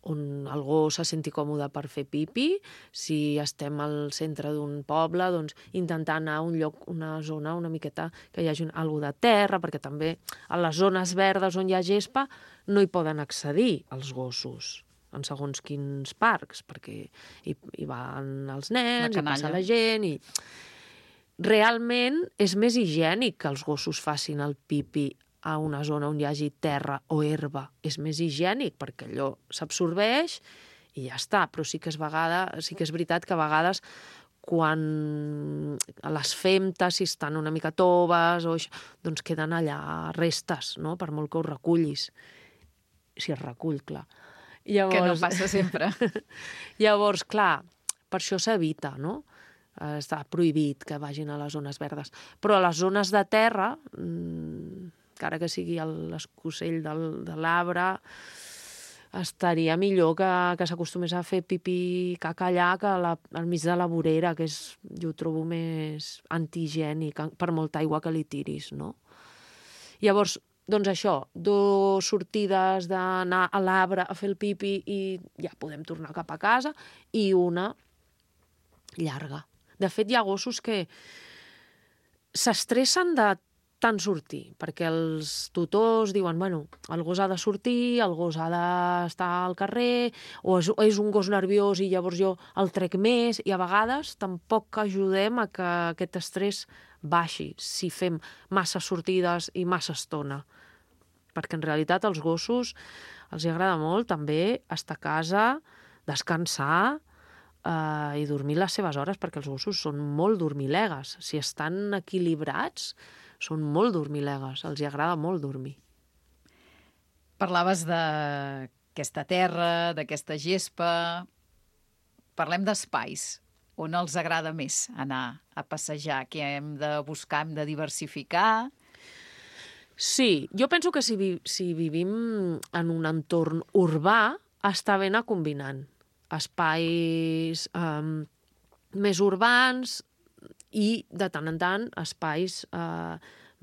el gos se senti còmode per fer pipi. Si estem al centre d'un poble, doncs intentar anar a un lloc, una zona una miqueta que hi hagi alguna de terra, perquè també a les zones verdes on hi ha gespa no hi poden accedir els gossos en segons quins parcs, perquè hi van els nens, hi passa la gent... Realment és més higiènic que els gossos facin el pipi a una zona on hi hagi terra o herba. És més higiènic perquè allò s'absorbeix i ja està. Però sí que és veritat que a vegades quan les femtes, si estan una mica toves, doncs queden allà restes, no? Per molt que ho recullis. Si es recull, clar. Que no passa sempre. Llavors, clar, per això s'evita, no? Està prohibit que vagin a les zones verdes. Però a les zones de terra, encara que sigui l'escosell de l'arbre, estaria millor que s'acostumés a fer pipí caca allà que al mig de la vorera, que jo ho trobo més antihigiènic, per molta aigua que li tiris, no? Llavors, doncs això, 2 sortides d'anar a l'arbre a fer el pipi i ja podem tornar cap a casa, i una llarga. De fet, hi ha gossos que s'estressen de tant sortir, perquè els tutors diuen, bueno, el gos ha de sortir, el gos ha d'estar al carrer, o és un gos nerviós i llavors jo el trec més, i a vegades tampoc ajudem a que aquest estrès baixi si fem massa sortides i massa estona. Perquè en realitat als gossos els agrada molt també estar a casa, descansar, i dormir les seves hores, perquè els gossos són molt dormilegues. Si estan equilibrats, són molt dormilegues. Els agrada molt dormir. Parlaves d'aquesta terra, d'aquesta gespa. Parlem d'espais. On els agrada més anar a passejar? Què hem de buscar? Hem de diversificar? Sí, jo penso que si vivim en un entorn urbà, està bé anar combinant espais més urbans i, de tant en tant, espais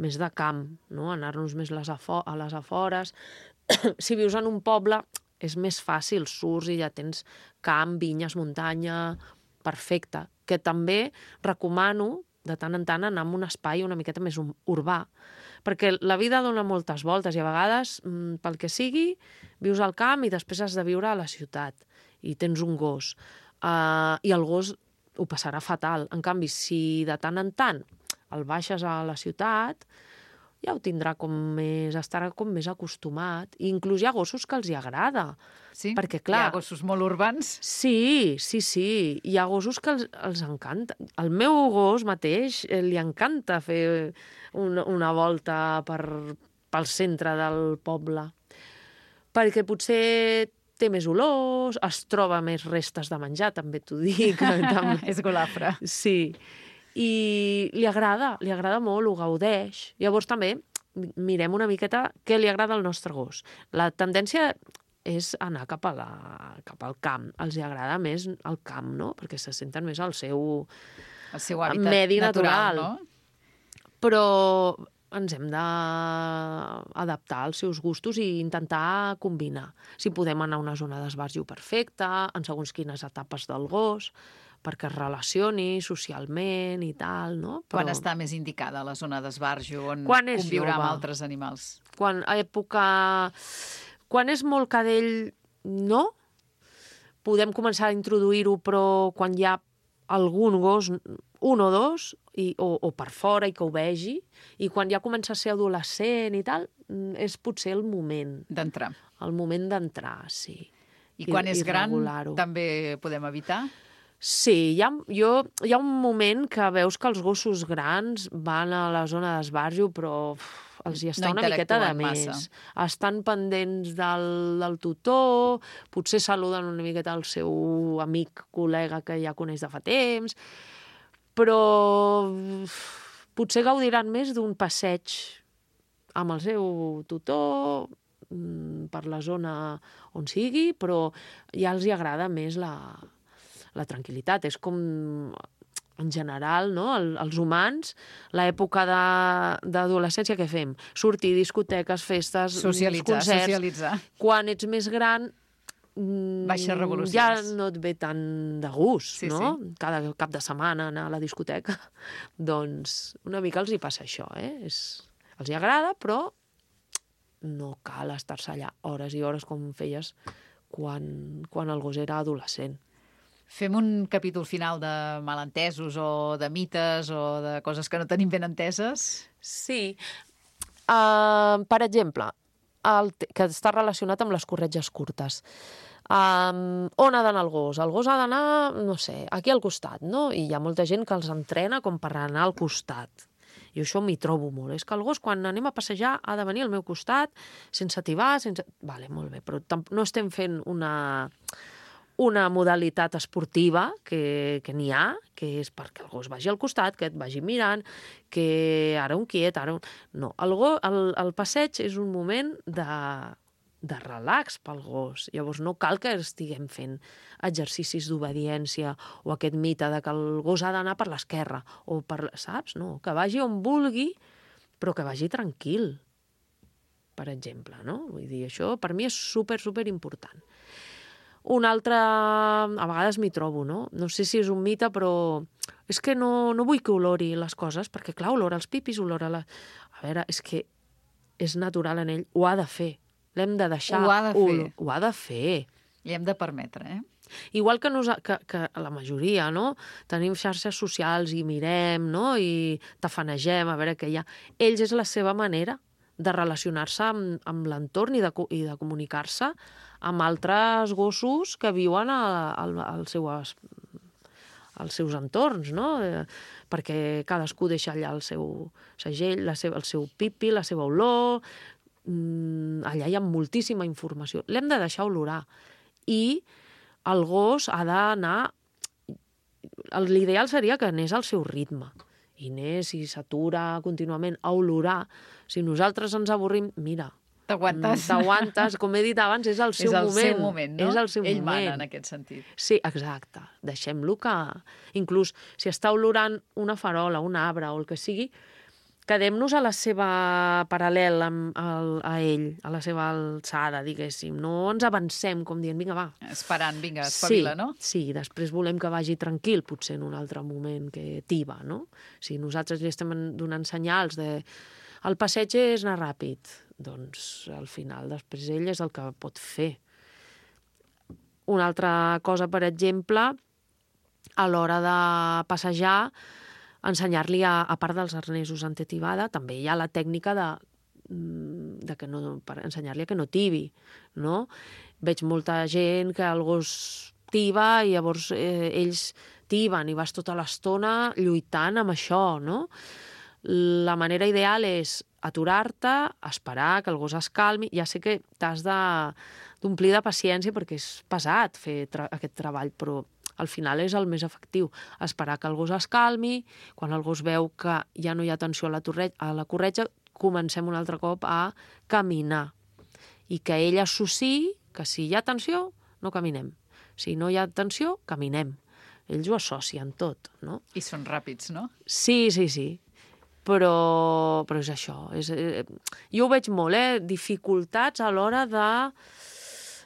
més de camp, no? Anar-nos més a les afores. Si vius en un poble, és més fàcil, surts i ja tens camp, vinyes, muntanya, perfecte. Que també recomano, de tant en tant, anar a un espai una miqueta més urbà, perquè la vida dona moltes voltes i a vegades, pel que sigui, vius al camp i després has de viure a la ciutat i tens un gos, i el gos ho passarà fatal. En canvi, si de tant en tant el baixes a la ciutat, ja ho tindrà estarà com més acostumat. I inclús hi ha gossos que els hi agrada. Sí? Perquè, clar, hi ha gossos molt urbans? Sí. Hi ha gossos que els encanta. El meu gos mateix li encanta fer una volta pel centre del poble. Perquè potser té més olors, es troba més restes de menjar, també t'ho dic. És golafre. Sí. I li agrada molt, ho gaudeix. Llavors també mirem una miqueta què li agrada al nostre gos. La tendència és anar cap al camp. Els agrada més el camp, no? Perquè se senten més al seu hàbitat medi natural, natural. Però ens hem d'adaptar als seus gustos i intentar combinar. Si podem anar a una zona d'esbarjo perfecta, en segons quines etapes del gos, perquè es relacioni socialment i tal, no? Quan està més indicada la zona d'esbarjo, on Quan és conviurà amb jove. altres animals? Quan és molt cadell, no. Podem començar a introduir-ho, però quan hi ha algun gos, un o dos, o per fora i que ho vegi, i quan ja comença a ser adolescent i tal, és potser el moment. D'entrar. El moment d'entrar, sí. I quan és gran regular-ho. també podem evitar? Sí, hi ha un moment que veus que els gossos grans van a la zona d'esbarjo, però els hi està una miqueta de més. massa. Estan pendents del tutor, potser saluden una miqueta el seu amic, col·lega que ja coneix de fa temps, però potser gaudiran més d'un passeig amb el seu tutor per la zona on sigui, però ja els hi agrada més la tranquil·litat. És com, en general, no? Els humans, l'època d'adolescència, què fem? Sortir, discoteques, festes, concerts. Socialitzar. Quan ets més gran, Baixes revolucions. ja no et ve tan de gust, Sí, no? sí. Cada cap de setmana anar a la discoteca. Doncs una mica els hi passa això, els hi agrada, però no cal estar-se allà hores i hores com feies quan el gos era adolescent. Fem un capítol final de malentesos o de mites o de coses que no tenim ben enteses? Sí. Per exemple, que està relacionat amb les corretges curtes. On ha d'anar el gos? El gos ha d'anar, no sé, aquí al costat, no? I hi ha molta gent que els entrena com per anar al costat. I això m'hi trobo molt. És que el gos, quan anem a passejar, ha de venir al meu costat, sense tibar, sense... Vale, molt bé, però no estem fent una modalitat esportiva que n'hi ha, que és perquè el gos vagi al costat, que et vagi mirant, que ara un quiet, ara un... No, el passeig és un moment de relax pel gos. Llavors no cal que estiguem fent exercicis d'obediència o aquest mite de que el gos ha d'anar per l'esquerra o per... Saps? No, que vagi on vulgui, però que vagi tranquil, per exemple, no? Vull dir, això per mi és super important. Un altre, a vegades m'hi trobo, no? No sé si és un mite, però és que no vull que olori les coses, perquè clar, olora els pipis, olora la... A veure, és que és natural en ell, ho ha de fer. L'hem de deixar... Ho ha de fer. Ho ha de fer. Li hem de permetre, Igual que la majoria, no? Tenim xarxes socials i mirem, no? I tafanegem a veure què hi ha. Ells és la seva manera de relacionar-se amb l'entorn i de comunicar-se amb altres gossos que viuen als seus entorns, no? Perquè cadascú deixa allà el seu segell, el seu pipi, la seva olor... Allà hi ha moltíssima informació. L'hem de deixar olorar. I el gos ha d'anar... L'ideal seria que anés al seu ritme. I anés, si s'atura contínuament a olorar. Si nosaltres ens avorrim, mira... T'aguantes, com he dit abans, és el seu moment. És el seu moment, no? És el seu Ell moment. mana en aquest sentit. Sí, exacte. Deixem-lo que... Inclús si està olorant una farola, un arbre o el que sigui, quedem-nos a la seva paral·lel a ell, a la seva alçada, diguéssim. No ens avancem, com dient, vinga, va. Esperant, vinga, espavila, no? Sí, després volem que vagi tranquil, potser en un altre moment que tiba, no? Si nosaltres li estem donant senyals de... El passeig és anar ràpid, doncs al final després ell és el que pot fer. Una altra cosa, per exemple, a l'hora de passejar, ensenyar-li, a part dels arnesos antetibada, també hi ha la tècnica per ensenyar-li que no tibi, no? Veig molta gent que el gos tiba i llavors ells tiben i vas tota l'estona lluitant amb això, no? La manera ideal és aturar-te, esperar que el gos es calmi. Ja sé que t'has d'omplir de paciència perquè és pesat fer aquest treball, però al final és el més efectiu. Esperar que el gos es calmi, quan el gos veu que ja no hi ha atenció a la corretja, comencem un altre cop a caminar i que ell associï que si hi ha tensió, no caminem. Si no hi ha tensió, caminem. Ells ho associen tot, no? I són ràpids, no? Sí. Però és això. Jo ho veig molt, dificultats a l'hora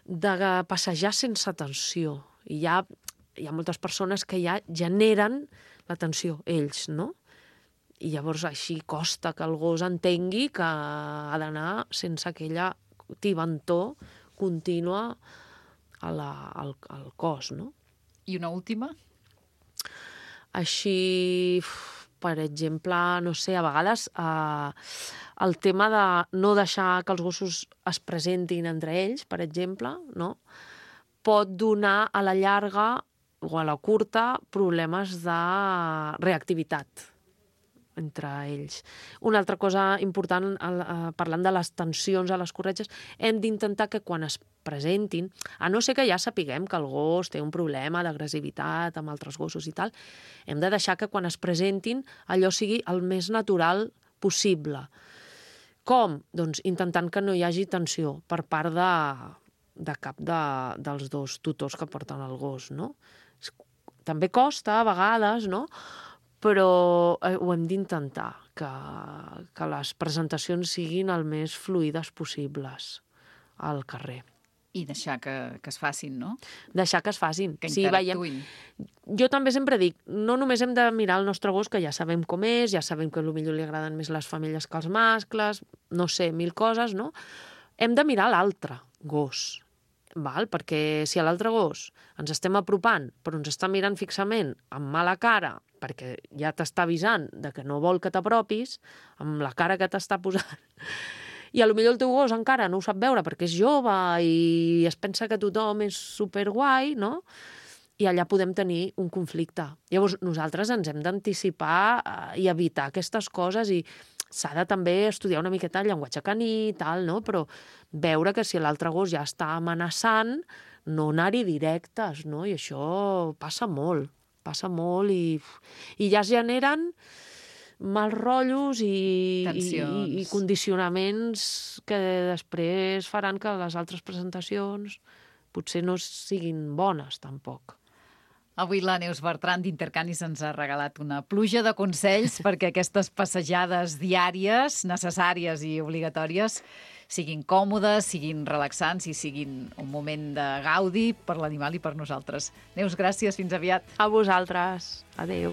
de passejar sense tensió. I hi ha moltes persones que ja generen la tensió, ells, no? I llavors així costa que el gos entengui que ha d'anar sense aquella tibantor contínua al cos, no? I una última? Així, per exemple, no sé, a vegades el tema de no deixar que els gossos es presentin entre ells, per exemple, no? Pot donar a la llarga o a la curta problemes de reactivitat entre ells. Una altra cosa important, parlant de les tensions a les corretges, hem d'intentar que quan es presentin, a no ser que ja sapiguem que el gos té un problema d'agressivitat amb altres gossos i tal, hem de deixar que quan es presentin allò sigui el més natural possible. Com? Doncs intentant que no hi hagi tensió per part de cap dels dos tutors que porten el gos, no? També costa, a vegades, no?, però ho hem d'intentar, que les presentacions siguin el més fluides possibles al carrer. I deixar que es facin, no? Deixar que es facin. Que interactuïn. Jo també sempre dic, no només hem de mirar el nostre gos, que ja sabem com és, ja sabem que potser li agraden més les femelles que els mascles, no sé, 1000 coses, no? Hem de mirar l'altre gos, val? Perquè si a l'altre gos ens estem apropant, però ens està mirant fixament, amb mala cara, perquè ja t'està avisant de que no vol que t'apropis, amb la cara que t'està posant, i potser el teu gos encara no ho sap veure perquè és jove i es pensa que tothom és superguai, no? I allà podem tenir un conflicte. Llavors, nosaltres ens hem d'anticipar i evitar aquestes coses i s'ha de també estudiar una miqueta el llenguatge caní i tal, no? Però veure que si l'altre gos ja està amenaçant, no anar-hi directes, no? I això passa molt i ja es generen mals rotllos i condicionaments que després faran que les altres presentacions potser no siguin bones, tampoc. Avui la Neus Bertran d'Intercanis ens ha regalat una pluja de consells perquè aquestes passejades diàries, necessàries i obligatòries, siguin còmodes, siguin relaxants i siguin un moment de gaudi per l'animal i per nosaltres. Neus, gràcies, fins aviat. A vosaltres. Adéu.